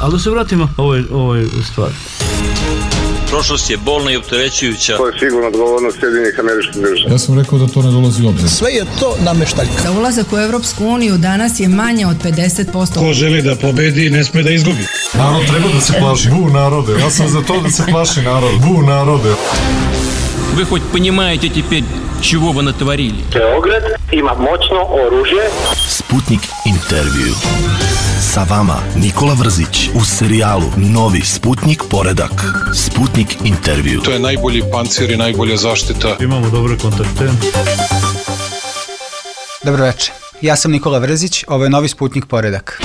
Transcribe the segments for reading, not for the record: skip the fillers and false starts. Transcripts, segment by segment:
Ali da se vratimo ovoj stvari. Prošlost je bolna i opterećujuća. To je sigurno odgovornost Sjedinjenih Američkih Država. Ja sam rekao da to ne dolazi u obzir. Sve je to nameštaljka. Za ulazak u Evropsku uniju danas je manje od 50%. Ko želi da pobedi, ne sme da izgubi. Narod treba da se plaši. Bu narode. Ja sam za to da se plaši narod. Bu narode. Вы хоть понимаете теперь, чего вы натворили? Beograd ima moćno oružje. Sputnik intervju. Sa vama Nikola Vrzić u serijalu Novi Sputnik poredak. Sputnik intervju. To je najbolji pancir i najbolja zaštita. Imamo dobre kontakte. Dobro večer. Ja sam Nikola Vrzić, ovo je Novi Sputnik poredak.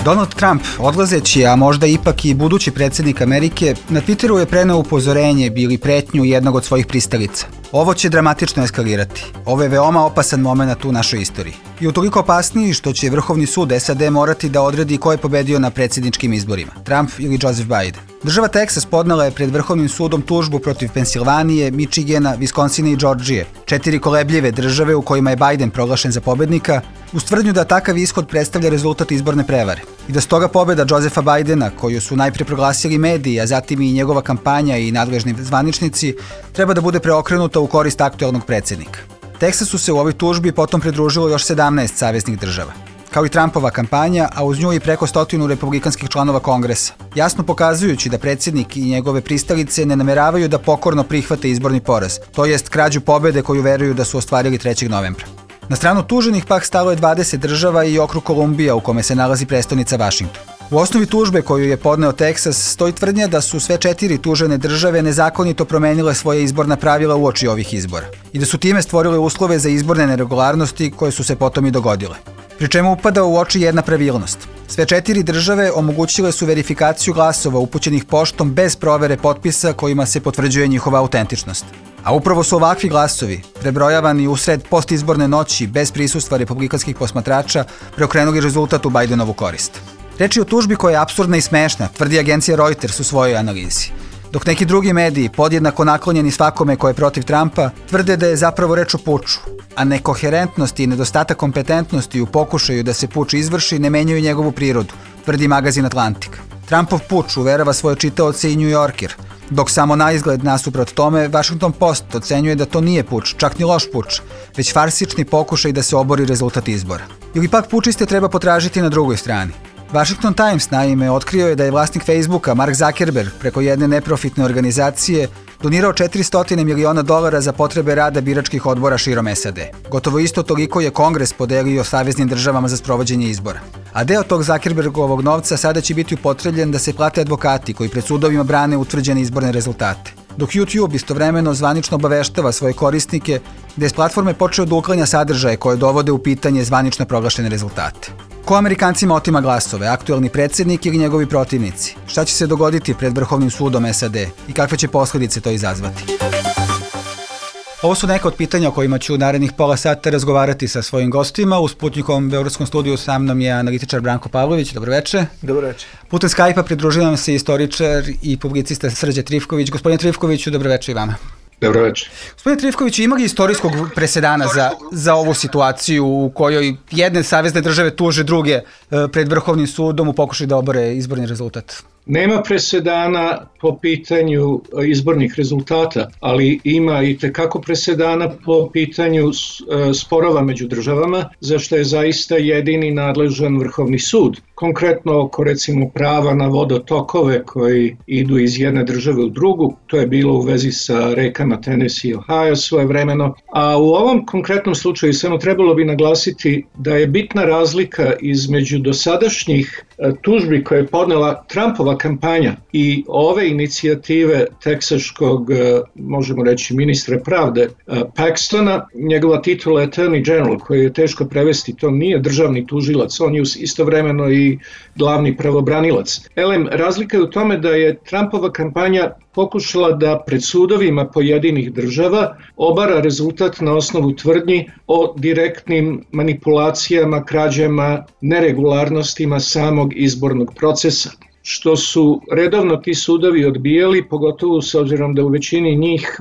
Donald Trump, odlazeći, a možda ipak i budući predsjednik Amerike, na Twitteru je preneo upozorenje ili pretnju jednog od svojih pristalica. Ovo će dramatično eskalirati. Ovo je veoma opasan moment u našoj istoriji. I utoliko opasniji što će Vrhovni sud SAD morati da odredi ko je pobedio na predsjedničkim izborima, Trump ili Joseph Biden. Država Teksas podnela je pred Vrhovnim sudom tužbu protiv Pensilvanije, Michigana, Viskonsina i Džordžije, 4 kolebljive države u kojima je Biden proglašen za pobednika, uz tvrdnju da takav ishod predstavlja rezultat izborne prevare. I da stoga pobeda Josepha Bidena, koju su najprije proglasili mediji, a zatim i njegova kampanja i nadležni zvaničnici, treba da bude preokrenuta u korist aktuelnog predsjednika. Teksasu se u ovoj tužbi potom pridružilo još 17 saveznih država. Kao i Trumpova kampanja, a uz nju i preko 100 republikanskih članova Kongresa, jasno pokazujući da predsjednik i njegove pristalice ne nameravaju da pokorno prihvate izborni poraz, to jest krađu pobede koju veruju da su ostvarili 3. novembra. Na stranu tuženih pak stalo je 20 država i okrug Kolumbija u kome se nalazi prestonica Vašington. U osnovi tužbe koju je podneo Teksas stoji tvrdnja da su sve 4 tužene države nezakonito promenile svoje izborna pravila uoči ovih izbora i da su time stvorile uslove za izborne neregularnosti koje su se potom i dogodile. Pri čemu upada u oči jedna pravilnost. Sve 4 države omogućile su verifikaciju glasova upućenih poštom bez provere potpisa kojima se potvrđuje njihova autentičnost. A upravo su ovakvi glasovi, prebrojavani usred postizborne noći bez prisustva republikanskih posmatrača, preokrenuli rezultat u Bidenovu korist. Reč je o tužbi koja je apsurdna i smešna, tvrdi agencija Reuters u svojoj analizi. Dok neki drugi mediji, podjednako naklonjeni svakome ko je protiv Trumpa, tvrde da je zapravo reč o puču, a nekoherentnost i nedostatak kompetentnosti u pokušaju da se puč izvrši ne menjaju njegovu prirodu, tvrdi magazin Atlantik. Trumpov puč uverava svoje čitaoce i New Yorker, dok samo na izgled nasuprot tome Washington Post ocenjuje da to nije puč, čak ni loš puč, već farsični pokušaj da se obori rezultat izbora. Ili pak pučiste treba potražiti na drugoj strani. Washington Times naime otkrio je da je vlasnik Facebooka Mark Zuckerberg preko jedne neprofitne organizacije donirao $400 miliona za potrebe rada biračkih odbora širom SAD. Gotovo isto toliko je Kongres podelio saveznim državama za sprovođenje izbora. A deo tog Zuckerbergovog novca sada će biti upotrebljen da se plate advokati koji pred sudovima brane utvrđene izborne rezultate. Dok YouTube istovremeno zvanično obaveštava svoje korisnike da je s platforme počeo da uklanja sadržaje koje dovode u pitanje zvanično proglašene rezultate. Ko Amerikancima otima glasove, aktuelni predsjednik ili njegovi protivnici? Šta će se dogoditi pred Vrhovnim sudom SAD i kakve će posljedice to izazvati? Ovo su neka od pitanja o kojima ću u narednih pola sata razgovarati sa svojim gostima. U Sputnikovom beogradskom studiju sa mnom je analitičar Branko Pavlović. Dobroveče. Dobroveče. Putem Skype-a pridružuje nam se istoričar i publicista Srđe Trifković. Gospodine Trifkoviću, dobroveče i vama. Dobroveče. Gospodine Trifkoviću, ima li istorijskog presedana za ovu situaciju u kojoj jedne savezne države tuže druge pred Vrhovnim sudom u pokušaju da obore izborni rezultat? Nema presedana po pitanju izbornih rezultata, ali ima i tekako presedana po pitanju sporova među državama, za što je zaista jedini nadležan Vrhovni sud. Konkretno oko recimo prava na vodotokove koji idu iz jedne države u drugu, to je bilo u vezi sa rekama Tennessee i Ohio svojevremeno. A u ovom konkretnom slučaju samo trebalo bi naglasiti da je bitna razlika između dosadašnjih tužbi koje je podnela Trumpova kampanja i ove inicijative teksaškog, možemo reći, ministra pravde Paxtona. Njegova titula je Attorney General, koji je teško prevesti, to nije državni tužilac, on je istovremeno i glavni pravobranilac. Razlika je u tome da je Trumpova kampanja pokušala da pred sudovima pojedinih država obara rezultat na osnovu tvrdnji o direktnim manipulacijama, krađama, neregularnostima samog izbornog procesa. što su redovno ti sudovi odbijali, pogotovo s obzirom da u većini njih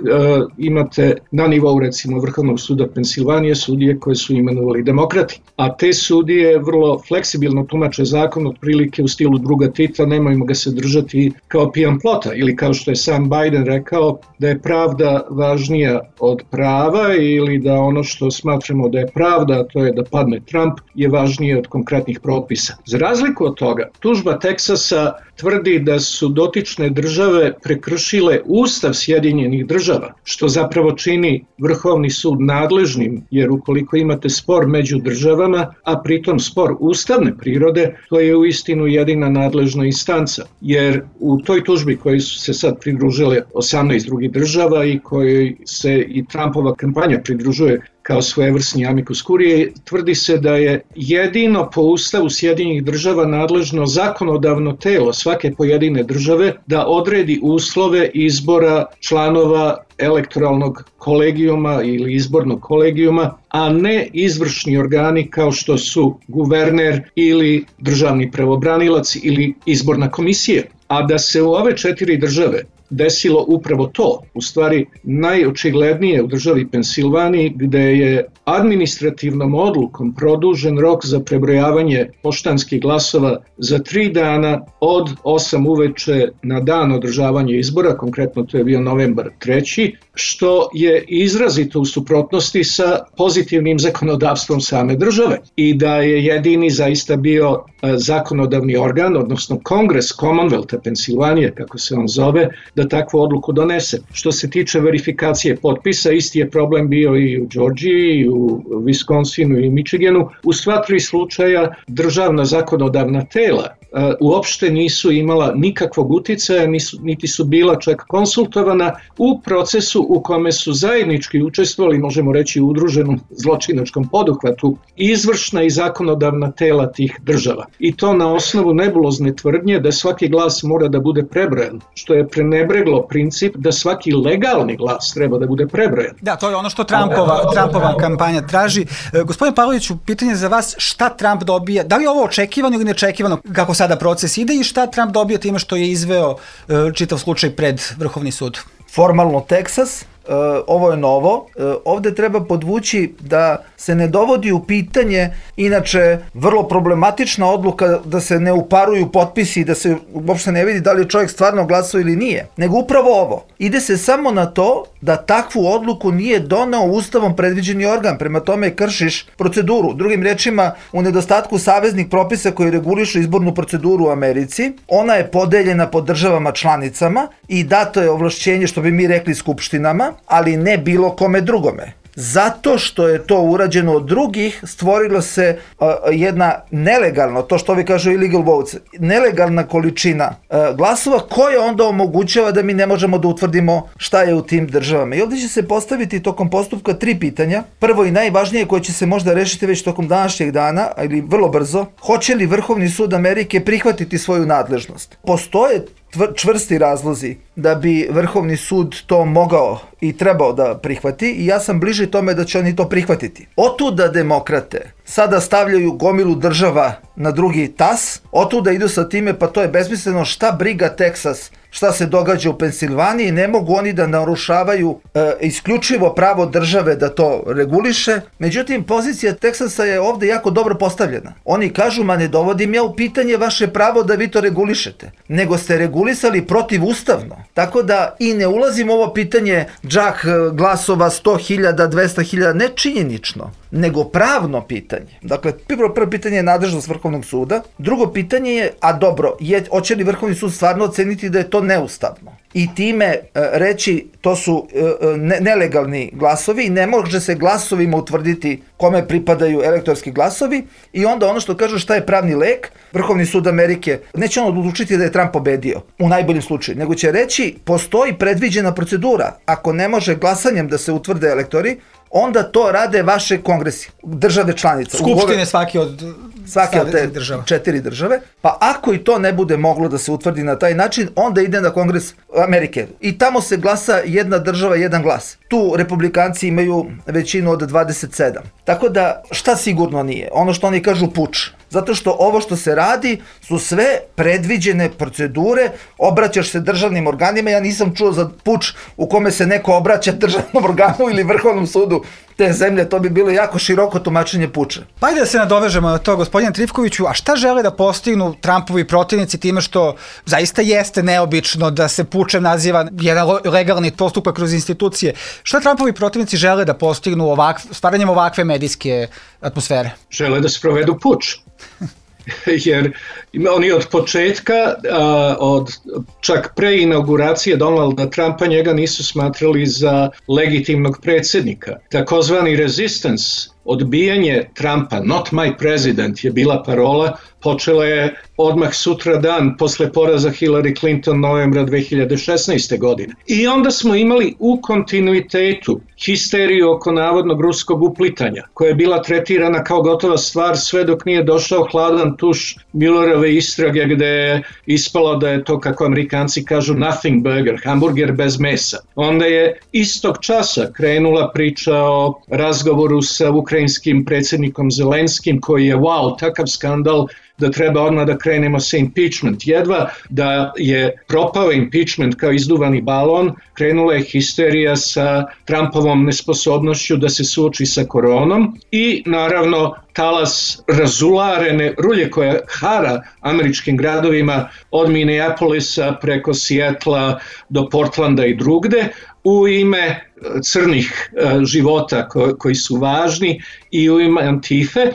imate na nivou recimo Vrhovnog suda Pensilvanije sudije koje su imenovali demokrati. A te sudije vrlo fleksibilno tumače zakon, otprilike u stilu druga Tita, nemojmo ga se držati kao pijan plota, ili kao što je sam Biden rekao da je pravda važnija od prava, ili da ono što smatramo da je pravda, a to je da padne Trump, je važnije od konkretnih propisa. Za razliku od toga, tužba Teksasa tvrdi da su dotične države prekršile Ustav Sjedinjenih Država, što zapravo čini Vrhovni sud nadležnim, jer ukoliko imate spor među državama, a pritom spor ustavne prirode, to je uistinu jedina nadležna instanca. Jer u toj tužbi koji su se sad pridružile 18 drugih država i kojoj se i Trumpova kampanja pridružuje kao svojevrsni amicus curiae, tvrdi se da je jedino po Ustavu Sjedinjenih Država nadležno zakonodavno telo svake pojedine države da odredi uslove izbora članova elektoralnog kolegijuma ili izbornog kolegijuma, a ne izvršni organi kao što su guverner ili državni pravobranilac ili izborna komisija. A da se u ove 4 države desilo upravo to, u stvari najočiglednije u državi Pensilvaniji, gde je administrativnom odlukom produžen rok za prebrojavanje poštanskih glasova za 3 dana od 8 uveče na dan održavanja izbora, konkretno to je bio novembar 3, što je izrazito u suprotnosti sa pozitivnim zakonodavstvom same države i da je jedini zaista bio zakonodavni organ, odnosno Kongres Commonwealtha Pensilvanije, kako se on zove, da takvu odluku donese. Što se tiče verifikacije potpisa, isti je problem bio i u Georgiji, i u Wisconsinu i Michiganu. U sva 3 slučaja državna zakonodavna tela uopšte nisu imala nikakvog uticaja, niti su bila čak konsultovana u procesu u kome su zajednički učestvovali, možemo reći u udruženom zločinačkom poduhvatu, izvršna i zakonodavna tela tih država. I to na osnovu nebulozne tvrdnje da svaki glas mora da bude prebrojan, što je prenebreglo princip da svaki legalni glas treba da bude prebrojan. Da, to je ono što Trumpova kampanja traži. Gospodin Pavloviću, pitanje za vas, šta Trump dobija? Da li je ovo očekivano ili neočekivano kako sada proces ide i šta Trump dobio time što je izveo čitav slučaj pred Vrhovni sud? Formalno Teksas, ovo je novo. Ovde treba podvući da se ne dovodi u pitanje, inače vrlo problematična odluka da se ne uparuju potpisi i da se uopšte ne vidi da li je čovjek stvarno glasao ili nije, nego upravo ovo. Ide se samo na to da takvu odluku nije doneo Ustavom predviđeni organ, prema tome kršiš proceduru. Drugim rečima, u nedostatku saveznih propisa koji regulišu izbornu proceduru u Americi, ona je podeljena po državama članicama i dato je ovlašćenje, što bi mi rekli, skupštinama, ali ne bilo kome drugome. Zato što je to urađeno od drugih, stvorilo se jedna nelegalna, to što ovi kažu illegal votes, nelegalna količina glasova koja onda omogućava da mi ne možemo da utvrdimo šta je u tim državama. I ovdje će se postaviti tokom postupka 3 pitanja. Prvo i najvažnije koje će se možda rešiti već tokom današnjeg dana, ili vrlo brzo, hoće li Vrhovni sud Amerike prihvatiti svoju nadležnost? Postoje čvrsti razlozi da bi Vrhovni sud to mogao i trebao da prihvati i ja sam bliži tome da će oni to prihvatiti. Otuda demokrate sada stavljaju gomilu država na drugi tas, otuda idu sa time, pa to je besmisleno, šta briga Teksas, šta se događa u Pensilvaniji, ne mogu oni da narušavaju isključivo pravo države da to reguliše. Međutim, pozicija Teksasa je ovde jako dobro postavljena. Oni kažu, ma ne dovodim ja u pitanje vaše pravo da vi to regulišete, nego ste regulisali protivustavno. Tako da i ne ulazim u ovo pitanje džak glasova 100.000, 200.000, ne činjenično, nego pravno pitanje. Dakle, prvo pitanje je nadležnost Vrhovnog suda, drugo pitanje je, a dobro, hoće li Vrhovni sud stvarno oceniti da je to neustavno? I time reći to su nelegalni glasovi i ne može se glasovima utvrditi kome pripadaju elektorski glasovi i onda ono što kažu šta je pravni lek, Vrhovni sud Amerike neće on odlučiti da je Trump pobedio u najboljem slučaju, nego će reći postoji predviđena procedura, ako ne može glasanjem da se utvrde elektori, onda to rade vaše kongresi, države članice. Skupštine svake od te 4 države. Pa ako i to ne bude moglo da se utvrdi na taj način, onda ide na Kongres Amerike. I tamo se glasa jedna država, jedan glas. Tu republikanci imaju većinu od 27. Tako da šta sigurno nije? Ono što oni kažu puč. zato što ovo što se radi su sve predviđene procedure, obraćaš se državnim organima, ja nisam čuo za puč u kome se neko obraća državnom organu ili Vrhovnom sudu te zemlje, to bi bilo jako široko tumačenje puča. Pa ajde da se nadovežemo na to, gospodine Trifkoviću, a šta žele da postignu Trumpovi protivnici time što zaista jeste neobično da se pučem naziva jedan legalni postupak kroz institucije? Šta Trumpovi protivnici žele da postignu stvaranjem ovakve medijske atmosfere? Žele da sprovedu puč. Jer oni od početka, čak pre inauguracije Donalda Trumpa, njega nisu smatrali za legitimnog predsjednika. Takozvani resistance, odbijanje Trumpa, not my president, je bila parola, počela je odmah sutra dan posle poraza Hillary Clinton novembra 2016. godine. I onda smo imali u kontinuitetu histeriju oko navodnog ruskog uplitanja, koja je bila tretirana kao gotova stvar sve dok nije došao hladan tuš Muellerove istrage gde je ispalo da je to, kako Amerikanci kažu, nothing burger, hamburger bez mesa. Onda je istog časa krenula priča o razgovoru sa ukrajinskim predsjednikom Zelenskim, koji je takav skandal da treba odmah da krenemo sa impeachment. Jedva da je propao impeachment kao izduvani balon, krenula je histerija sa Trumpovom nesposobnošću da se suoči sa koronom i naravno talas razularene rulje koja hara američkim gradovima od Minneapolisa preko Seattla do Portlanda i drugde u ime crnih života koji su važni i u ime Antife.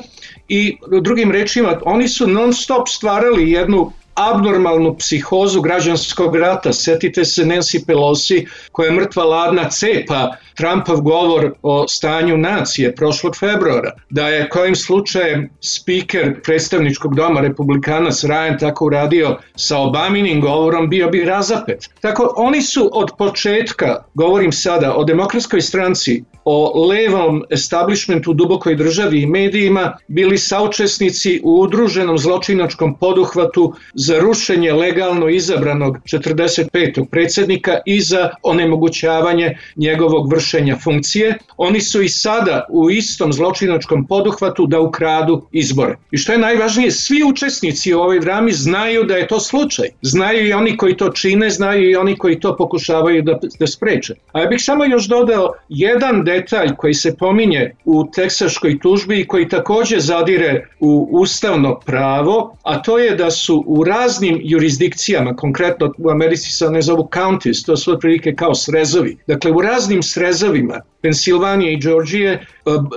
I drugim rečima, oni su non stop stvarali jednu abnormalnu psihozu građanskog rata. Setite se Nancy Pelosi koja je mrtva ladna cepa Trumpov govor o stanju nacije prošlog februara. Da je kojim slučajem spiker predstavničkog doma Republikanac Ryan tako uradio sa Obaminim govorom, bio bi razapet. Tako oni su od početka, govorim sada o Demokratskoj stranci, o levom establishmentu u dubokoj državi i medijima, bili saučesnici u udruženom zločinačkom poduhvatu za rušenje legalno izabranog 45. predsjednika i za onemogućavanje njegovog vršenja funkcije. Oni su i sada u istom zločinačkom poduhvatu da ukradu izbore. I što je najvažnije, svi učesnici u ovoj drami znaju da je to slučaj. Znaju i oni koji to čine, znaju i oni koji to pokušavaju da spreče. A ja bih samo još dodao jedan detalj koji se pominje u teksaškoj tužbi i koji također zadire u ustavno pravo, a to je da su u raznim jurisdikcijama, konkretno u Americi se ne zovu counties, to su otprilike kao srezovi. Dakle, u raznim srezovima Pensilvanije i Georgije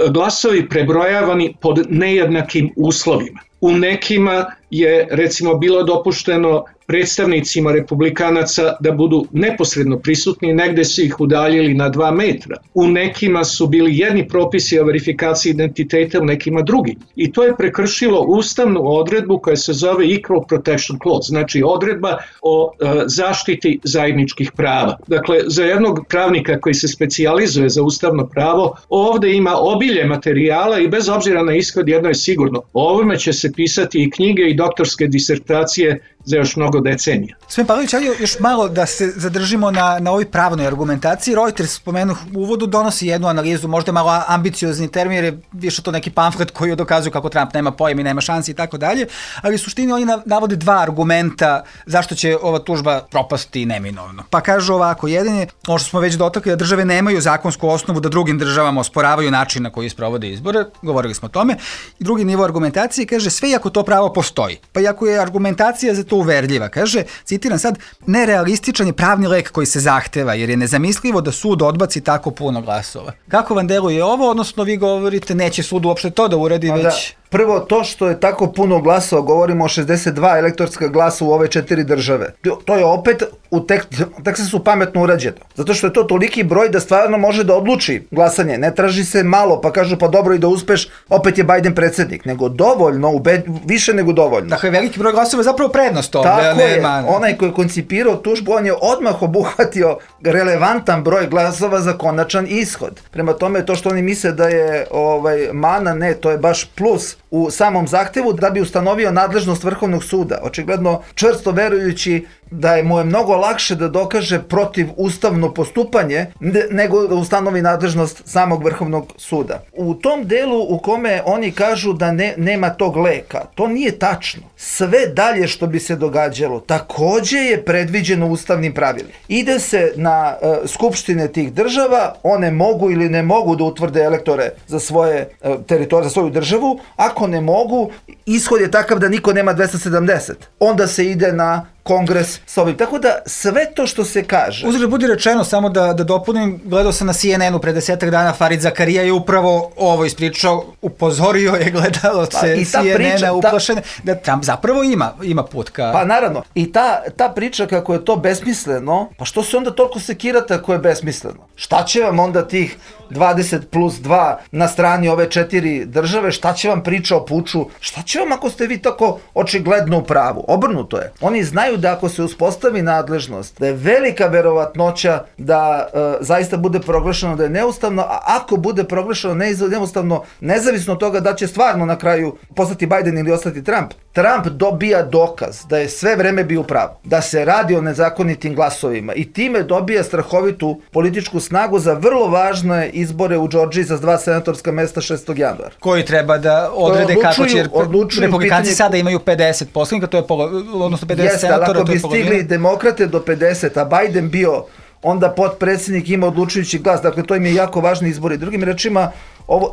glasovi prebrojavani pod nejednakim uslovima. U nekima je recimo bilo dopušteno predstavnicima republikanaca da budu neposredno prisutni, negde su ih udaljili na 2 metra. U nekima su bili jedni propisi o verifikaciji identiteta, u nekima drugi. I to je prekršilo ustavnu odredbu koja se zove Equal Protection Clause, znači odredba o zaštiti zajedničkih prava. Dakle, za jednog pravnika koji se specijalizuje za ustavno pravo, ovde ima obilje materijala i bez obzira na ishod jedno je sigurno. O ovome će se pisati i knjige i doktorske disertacije za još mnogo decenija. Gospodin Pavlović, ajde još malo da se zadržimo na ovoj pravnoj argumentaciji. Reuters, spomenuh u uvodu, donosi jednu analizu, možda malo ambiciozni termin, jer je više to neki pamflet koji dokazuje kako Trump nema pojem i nema šansi i tako dalje, ali u suštini oni navode 2 argumenta zašto će ova tužba propasti neminovno. Pa kažu ovako, jedan je, ono što smo već dotakli, da države nemaju zakonsku osnovu da drugim državama osporavaju način na koji sprovode izbore, govorili smo o tome. I drugi nivo argumentacije kaže sve iako to pravo postoji. Pa iako je argumentacija za to uverljiva, kaže, citiram sad, nerealističan je pravni lek koji se zahteva, jer je nezamislivo da sud odbaci tako puno glasova. Kako vam deluje ovo, odnosno vi govorite neće sud uopšte to da uradi, već... Prvo, to što je tako puno glasova, govorimo o 62 elektorska glasa u ove 4 države. To je opet u Teksasu pametno urađeno. Zato što je to toliki broj da stvarno može da odluči glasanje. Ne traži se malo, pa kažu pa dobro i da uspeš, opet je Biden predsjednik. Nego dovoljno, više nego dovoljno. Dakle, veliki broj glasova je zapravo prednost ovdje. Tako je, onaj koji je koncipirao tužbu, on je odmah obuhvatio relevantan broj glasova za konačan ishod. Prema tome, to što oni misle da je mana, ne, to je baš plus u samom zahtevu da bi ustanovio nadležnost Vrhovnog suda. Očigledno čvrsto verujući da mu je mnogo lakše da dokaže protiv ustavno postupanje nego da ustanovi nadležnost samog Vrhovnog suda. U tom delu u kome oni kažu da nema tog leka, to nije tačno. Sve dalje što bi se događalo takođe je predviđeno ustavnim pravilima. Ide se na skupštine tih država, one mogu ili ne mogu da utvrde elektore za svoje teritorije, za svoju državu. Ako ne mogu, ishod je takav da niko nema 270. Onda se ide na kongres s ovim. Tako da sve to što se kaže... Uzgled budi rečeno, samo da dopunim, gledao sam na CNN-u pre 10 dana, Farid Zakarija je upravo ovo ispričao, upozorio je gledalace CNN-a uplašene, da Trump zapravo ima put ka... Pa naravno, i ta priča kako je to besmisleno, pa što se onda toliko sekirate ako je besmisleno? Šta će vam onda tih 20+2 na strani ove 4 države, šta će vam priča o puču, šta će vam ako ste vi tako očigledno u pravu? Obrnuto je. Oni znaju da ako se uspostavi nadležnost, da je velika verovatnoća da zaista bude proglašeno da je neustavno, a ako bude proglašeno neustavno, nezavisno od toga da će stvarno na kraju postati Biden ili ostati Trump, Trump dobija dokaz da je sve vreme bio u pravu, da se radi o nezakonitim glasovima i time dobija strahovitu političku snagu za vrlo važne izbore u Džordžiji za 2 senatorska mesta 6. januara. Koji treba da odrede kako će, republikanci sada imaju 50 poslanika, to je odnosno 50 senatora, ako bi stigli demokrate do 50, a Biden bio onda potpredsjednik ima odlučujući glas, dakle to im je jako važni izbori. Drugim rečima,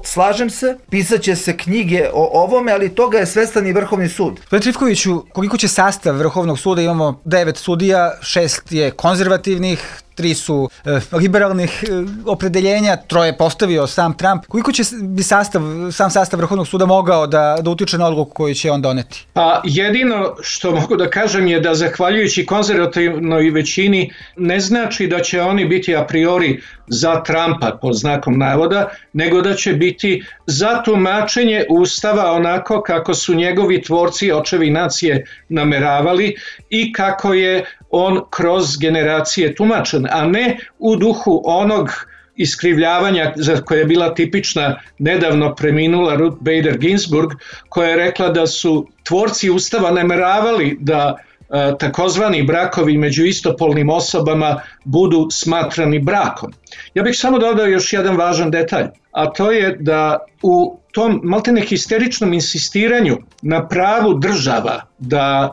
slažem se, pisaće se knjige o ovome, ali toga je svestan i Vrhovni sud. Gospodin Trifkoviću, koliko će sastav Vrhovnog suda, imamo 9 sudija, 6 je konzervativnih, 3 su liberalnih opredeljenja, 3 postavio sam Trump. Koliko će bi sam sastav Vrhovnog suda mogao da utiče na odluku koju će on doneti? Pa jedino što mogu da kažem je da zahvaljujući konzervativnoj većini ne znači da će oni biti a priori za Trumpa pod znakom navoda, nego da će biti za tumačenje Ustava onako kako su njegovi tvorci, očevi nacije nameravali i kako je on kroz generacije tumačen, a ne u duhu onog iskrivljavanja za koje je bila tipična nedavno preminula Ruth Bader Ginsburg, koja je rekla da su tvorci Ustava nameravali da takozvani brakovi među istopolnim osobama budu smatrani brakom. Ja bih samo dodao još jedan važan detalj, a to je da u tom maltene histeričnom insistiranju na pravu država da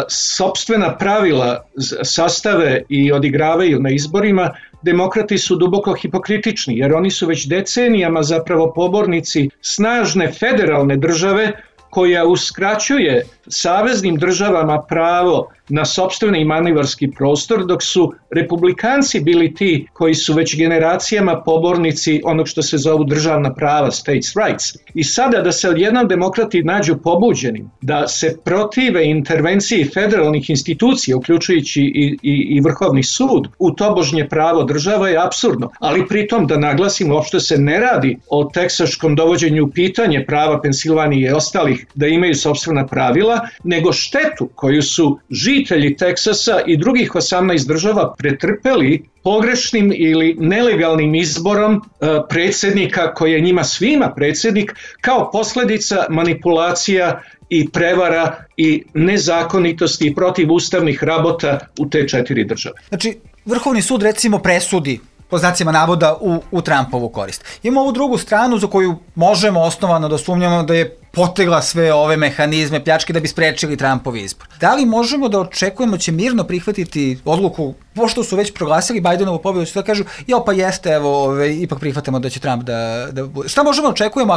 sopstvena pravila sastave i odigravaju na izborima, demokrati su duboko hipokritični, jer oni su već decenijama zapravo pobornici snažne federalne države koja uskraćuje saveznim državama pravo na sopstveni manevarski prostor, dok su republikanci bili ti koji su već generacijama pobornici onog što se zovu državna prava, states rights. I sada da se odjednom demokrati nađu pobuđeni, da se protive intervenciji federalnih institucija, uključujući i Vrhovni sud, u tobožnje pravo država je apsurdno. Ali pritom da naglasim, uopšte se ne radi o teksaškom dovođenju u pitanje prava Pensilvanije i ostalih da imaju sopstvena pravila, nego štetu koju su žitelji Teksasa i drugih 18 država pretrpeli pogrešnim ili nelegalnim izborom predsjednika koji je njima svima predsjednik kao posljedica manipulacija i prevara i nezakonitosti i protivustavnih rabota u te 4 države. Znači, Vrhovni sud recimo presudi po znacima navoda u Trumpovu korist. Imamo ovu drugu stranu za koju možemo osnovano da sumnjamo da je potegla sve ove mehanizme pljačke da bi sprečili Trumpov izbor. Da li možemo da očekujemo će mirno prihvatiti odluku, pošto su već proglasili Bidenovu pobjedu, će da kažu, pa jeste, evo, ipak prihvatamo da će Trump da bude. Šta možemo da očekujemo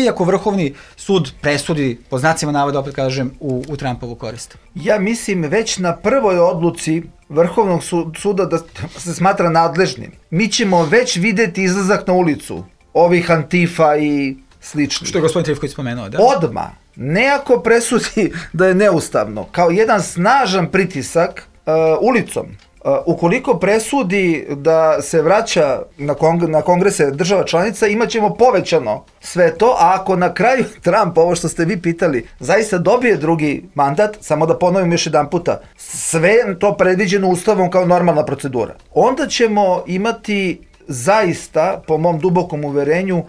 ako Vrhovni sud presudi, po znacima navoda, opet kažem, u Trumpovu korist? Ja mislim već na prvoj odluci Vrhovnog suda da se smatra nadležnim. Mi ćemo već videti izlazak na ulicu ovih Antifa i slični. Što je gospodin Trifković spomenuo, da? Odmah, ne ako presudi da je neustavno, kao jedan snažan pritisak ulicom. Ukoliko presudi da se vraća na kongrese država članica, imat ćemo povećano sve to, a ako na kraju Trump, ovo što ste vi pitali, zaista dobije drugi mandat, samo da ponovim još jedan puta, sve to predviđeno ustavom kao normalna procedura, onda ćemo imati zaista, po mom dubokom uverenju,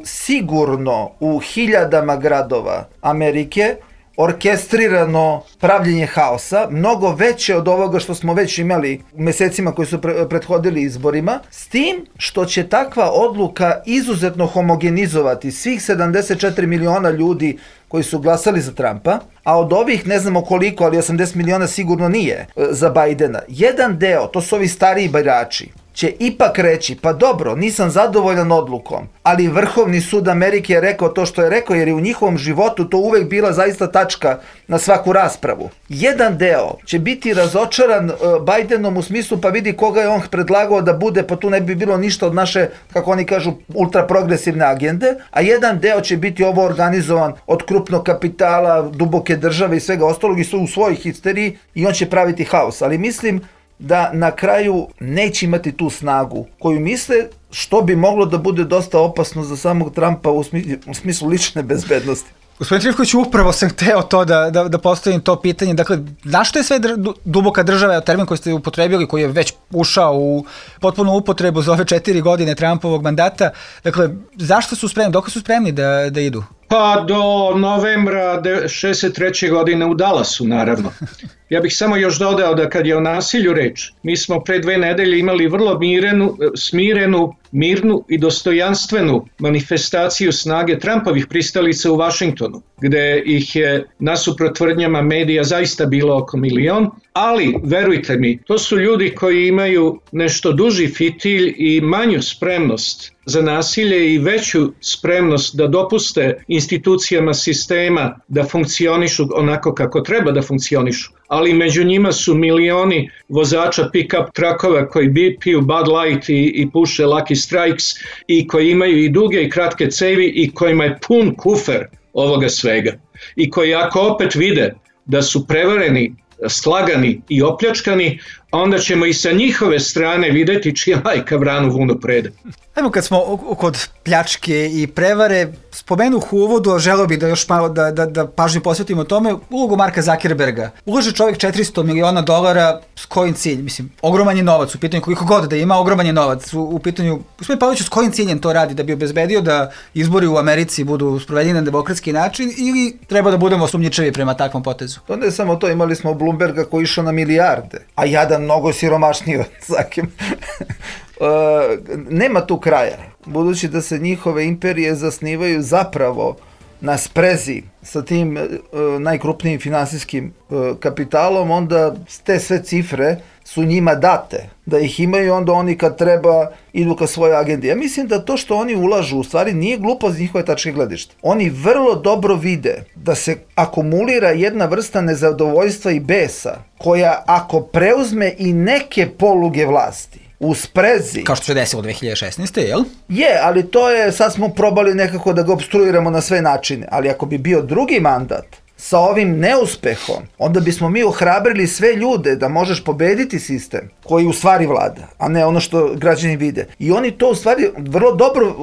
sigurno u hiljadama gradova Amerike orkestrirano pravljenje haosa, mnogo veće od ovoga što smo već imali u mesecima koji su prethodili izborima, s tim što će takva odluka izuzetno homogenizovati svih 74 miliona ljudi koji su glasali za Trumpa, a od ovih ne znamo koliko, ali 80 miliona sigurno nije za Bajdena. Jedan deo, to su ovi stariji birači, će ipak reći, pa dobro, nisam zadovoljan odlukom, ali Vrhovni sud Amerike je rekao to što je rekao, jer je u njihovom životu to uvek bila zaista tačka na svaku raspravu. Jedan deo će biti razočaran Bajdenom u smislu, pa vidi koga je on predlagao da bude, pa tu ne bi bilo ništa od naše, kako oni kažu, ultraprogresivne agende, a jedan deo će biti ovo organizovan od krupnog kapitala, duboke države i svega ostalog i su u svojoj histeriji i on će praviti haos, ali mislim da na kraju neće imati tu snagu koju misle, što bi moglo da bude dosta opasno za samog Trumpa u smislu lične bezbednosti. Gospodin Trifković, upravo sam hteo to da postavim to pitanje. Dakle, zašto je sve duboka država, termin koji ste upotrebili, koji je već ušao u potpunu upotrebu za ove 4 godine Trumpovog mandata, dakle, zašto su spremni, dok su spremni da idu? Pa do novembra 63. godine u Dallasu, naravno. Ja bih samo još dodao da kad je o nasilju reč, mi smo pre 2 nedelje imali vrlo smirenu, mirnu i dostojanstvenu manifestaciju snage Trumpovih pristalica u Vašingtonu, gde ih je nasuprot tvrdnjama medija zaista bilo oko 1 milion, ali verujte mi, to su ljudi koji imaju nešto duži fitilj i manju spremnost za nasilje i veću spremnost da dopuste institucijama sistema da funkcionišu onako kako treba da funkcionišu. Ali među njima su milioni vozača pick-up trakova koji piju Bud Light i puše Lucky Strikes i koji imaju i duge i kratke cevi i kojima je pun kufer ovoga svega. I koji ako opet vide da su prevareni, slagani i opljačkani, onda ćemo i sa njihove strane videti čija majka vranu vunu prede. Ajmo, kad smo kod pljačke i prevare, spomenuh u uvodu, želeo bih da još malo da pažnju posvetimo tome, ulogu Marka Zuckerberga. Ulaže čovjek $400 miliona, s kojim cilj? Mislim, ogroman je novac, u pitanju koliko god da ima, ogroman je novac u pitanju, gospodin Pavloviću, s kojim ciljem to radi, da bi obezbedio da izbori u Americi budu sprovedeni na demokratski način ili treba da budemo sumnjičevi prema takvom potezu? To ne samo to, imali smo Bloomberga koji išao na milijarde, a jadan mnogo siromašniji od Zakim. Nema tu kraja, budući da se njihove imperije zasnivaju zapravo na sprezi sa tim najkrupnijim finansijskim kapitalom, onda te sve cifre su njima date, da ih imaju, onda oni kad treba idu ka svojoj agendi. Ja mislim da to što oni ulažu u stvari nije glupo z njihove tačke gledišta. Oni vrlo dobro vide da se akumulira jedna vrsta nezadovoljstva i besa, koja ako preuzme i neke poluge vlasti u sprezi. Kao što se desilo 2016. jel? Je, ali to je, sad smo probali nekako da ga obstruiramo na sve načine, ali ako bi bio drugi mandat sa ovim neuspehom, onda bismo mi ohrabrili sve ljude da možeš pobediti sistem koji u stvari vlada, a ne ono što građani vide. I oni to u stvari vrlo dobro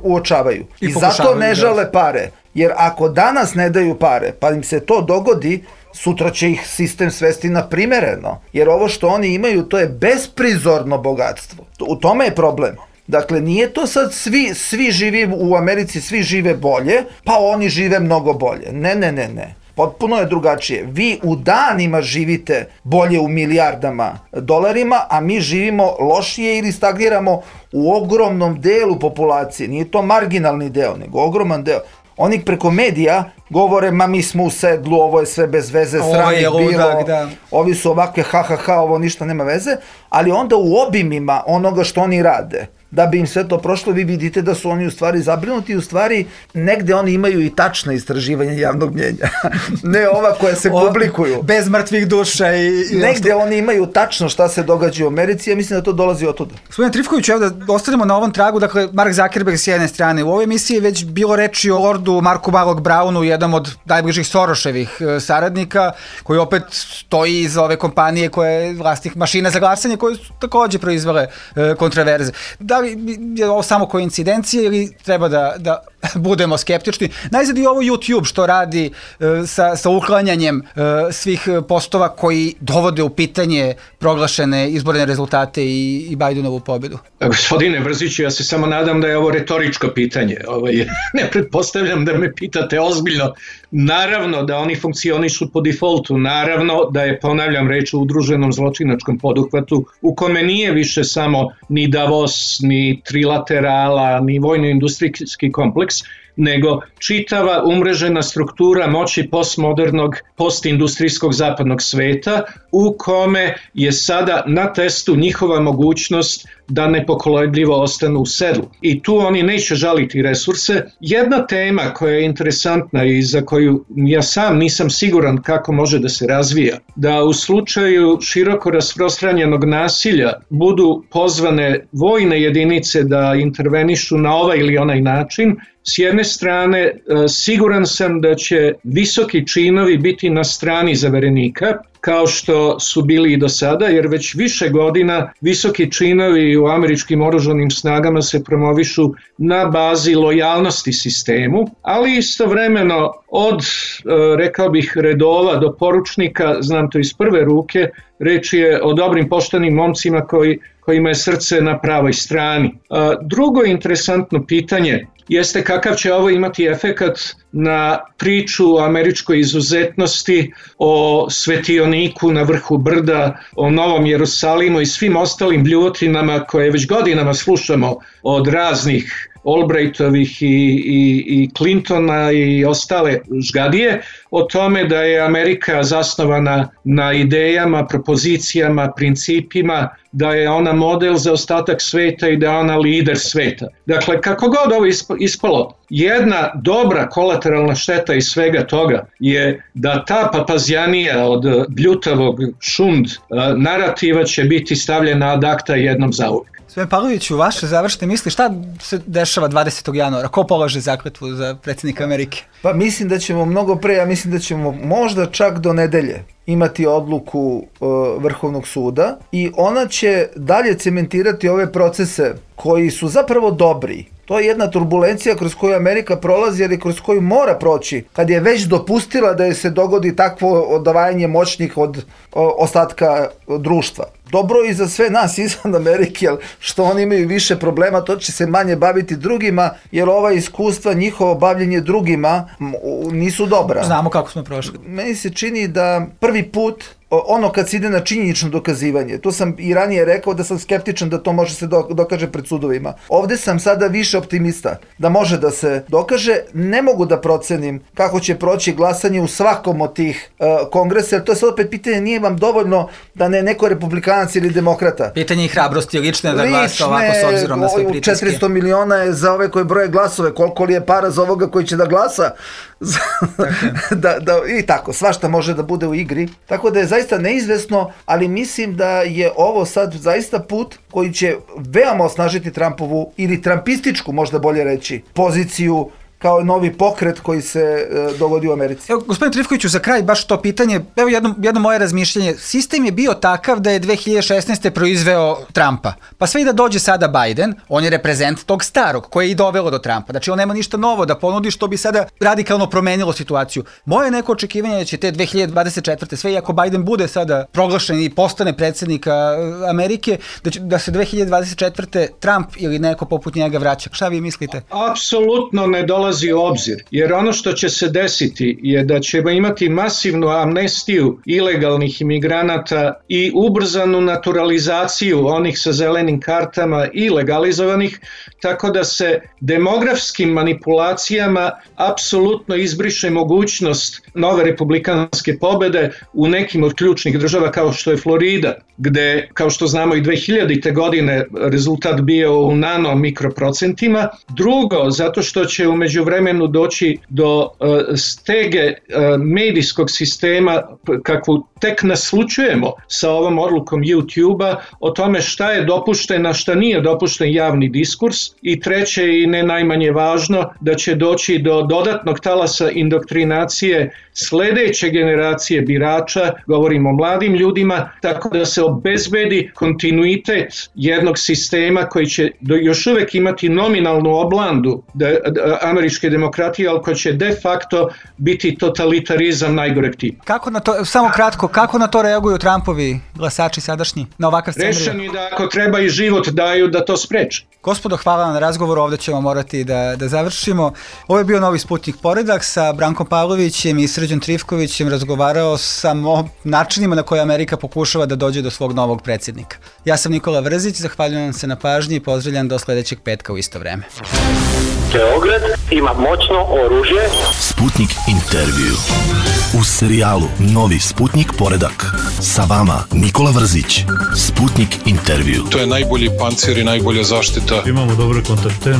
uočavaju. I zato ne žale pare. Jer ako danas ne daju pare, pa im se to dogodi, sutra će ih sistem svesti na primereno. Jer ovo što oni imaju, to je besprizorno bogatstvo. U tome je problem. Dakle, nije to sad svi živi u Americi, svi žive bolje, pa oni žive mnogo bolje. Ne. Potpuno je drugačije. Vi u danima živite bolje u milijardama dolarima, a mi živimo lošije ili stagniramo u ogromnom delu populacije. Nije to marginalni deo, nego ogroman deo. Oni preko medija govore, ma mi smo u sedlu, ovo je sve bez veze, sramih bilo, ovi su ovakve, ovo ništa nema veze, ali onda u obimima onoga što oni rade, da bi im sve to prošlo, vi vidite da su oni u stvari zabrinuti, u stvari negde oni imaju i tačna istraživanja javnog mnjenja, ne ova koja se publikuju. Bez mrtvih duša i negde oni imaju tačno šta se događa u Americi, ja mislim da to dolazi od tuda. Gospodine Trifković, evo da ostanemo na ovom tragu, dakle, Mark Zuckerberg s jedne strane, u ovoj emisiji je već bilo reči o Lordu Marku Malog Brownu, jedan od najbližih Soroševih saradnika, koji opet stoji iza ove kompanije koja je vlasnik mašina za glasanje, koje su takođe proizvele kontraverze. Da li je ovo samo koincidencija ili treba da budemo skeptični. Najzad i ovo YouTube što radi sa uklanjanjem svih postova koji dovode u pitanje proglašene izborne rezultate i Bidenovu pobedu. Gospodine Brziću, ja se samo nadam da je ovo retoričko pitanje. Ne pretpostavljam da me pitate ozbiljno. Naravno da oni funkcionišu po defaultu, naravno da je, ponavljam, reč o udruženom zločinačkom poduhvatu u kome nije više samo ni Davos, ni trilaterala, ni vojno-industrijski kompleks, nego čitava umrežena struktura moći postmodernog, postindustrijskog zapadnog sveta u kome je sada na testu njihova mogućnost da nepokolebljivo ostanu u sedlu. I tu oni neće žaliti resurse. Jedna tema koja je interesantna i za koju ja sam nisam siguran kako može da se razvija, da u slučaju široko rasprostranjenog nasilja budu pozvane vojne jedinice da intervenišu na ovaj ili onaj način. S jedne strane, siguran sam da će visoki činovi biti na strani zaverenika, kao što su bili i do sada, jer već više godina visoki činovi u američkim oružanim snagama se promovišu na bazi lojalnosti sistemu, ali istovremeno od, rekao bih, redova do poručnika, znam to iz prve ruke, reč je o dobrim poštenim momcima kojima je srce na pravoj strani. Drugo interesantno pitanje jeste kakav će ovo imati efekat na priču o američkoj izuzetnosti, o svetioniku na vrhu brda, o Novom Jerusalimu i svim ostalim bljuvotinama koje već godinama slušamo od raznih Albrightovih i Clintona i ostale žgadije, o tome da je Amerika zasnovana na idejama, propozicijama, principima, da je ona model za ostatak sveta i da je ona lider sveta. Dakle, kako god ovo ispalo, jedna dobra kolateralna šteta iz svega toga je da ta papazjanija od bljutavog šund narativa će biti stavljena ad acta jednom zauvijek. Gospodin Pavloviću, vaše završne misli, šta se dešava 20. januara? Ko polaže zakletvu za predsjednika Amerike? Pa mislim da ćemo mnogo pre, ja mislim da ćemo možda čak do nedelje imati odluku Vrhovnog suda i ona će dalje cementirati ove procese koji su zapravo dobri. To je jedna turbulencija kroz koju Amerika prolazi, ali kroz koju mora proći, kad je već dopustila da je se dogodi takvo odvajanje moćnih od ostatka društva. Dobro i za sve nas izvan Amerike, jer što oni imaju više problema, to će se manje baviti drugima, jer ova iskustva, njihovo bavljenje drugima nisu dobra. Znamo kako smo prošli. Meni se čini da prvi put, ono kad se ide na činjenično dokazivanje, to sam i ranije rekao da sam skeptičan da to može se dokaže pred sudovima. Ovde sam sada više optimista da može da se dokaže. Ne mogu da procenim kako će proći glasanje u svakom od tih kongresa, jer to je sad opet pitanje, nije vam dovoljno da ne neko republikanac ili demokrata. Pitanje i hrabrosti lične da glasa ovako s obzirom na sve pritiske. 400 miliona je za ove koji broje glasove, koliko li je para za ovoga koji će da glasa i tako, svašta može da bude u igri. Tako da je zaista neizvesno, ali mislim da je ovo sad zaista put koji će veoma osnažiti Trumpovu ili trumpističku, možda bolje reći, poziciju kao novi pokret koji se dogodi u Americi. Evo, gospodine Trifkoviću, za kraj baš to pitanje, evo jedno moje razmišljanje. Sistem je bio takav da je 2016. proizveo Trumpa. Pa sve i da dođe sada Biden, on je reprezent tog starog koje je i dovelo do Trumpa. Znači on nema ništa novo da ponudi što bi sada radikalno promenilo situaciju. Moje neko očekivanje je da će te 2024. sve i ako Biden bude sada proglašen i postane predsjednika Amerike, da se 2024. Trump ili neko poput njega vraća. Šta vi mislite? Apsolutno ne dolazi u obzir, jer ono što će se desiti je da ćemo imati masivnu amnestiju ilegalnih imigranata i ubrzanu naturalizaciju onih sa zelenim kartama i legalizovanih, tako da se demografskim manipulacijama apsolutno izbriše mogućnost nove republikanske pobede u nekim od ključnih država kao što je Florida, gde, kao što znamo, i 2000. godine rezultat bio u nano mikroprocentima. Drugo, zato što će umeđu međuvremenu doći do stege medijskog sistema kakvu tek naslučujemo sa ovom odlukom YouTube-a o tome šta je dopušteno, šta nije dopušten javni diskurs, i treće i ne najmanje važno, da će doći do dodatnog talasa indoktrinacije sledeće generacije birača, govorimo o mladim ljudima, tako da se obezbedi kontinuitet jednog sistema koji će još uvek imati nominalnu oblandu američke demokratije, ali koji će de facto biti totalitarizam najgoreg tipa. Kako na to, samo kratko, kako na to reaguju Trumpovi glasači sadašnji, na ovakav scenarij? Rešeni da ako treba i život daju da to spreče. Gospodo, hvala vam na razgovor, ovde ćemo morati da završimo. Ovo je bio Novi Sputnik Poredak, sa Brankom Pavlovićem i Srđom Trifkovićem razgovarao sam o načinima na koje Amerika pokušava da dođe do svog novog predsjednika. Ja sam Nikola Vrzić, zahvaljujem vam se na pažnji i pozdravljam do sledećeg petka u isto vreme. Beograd ima moćno oružje. Sputnik intervju. U serijalu Novi Sputnik Poredak. Sa vama Nikola Vrzić. Sputnik intervju. To je najbolji pancir i najbolja zaštita. Imamo dobre kontakte.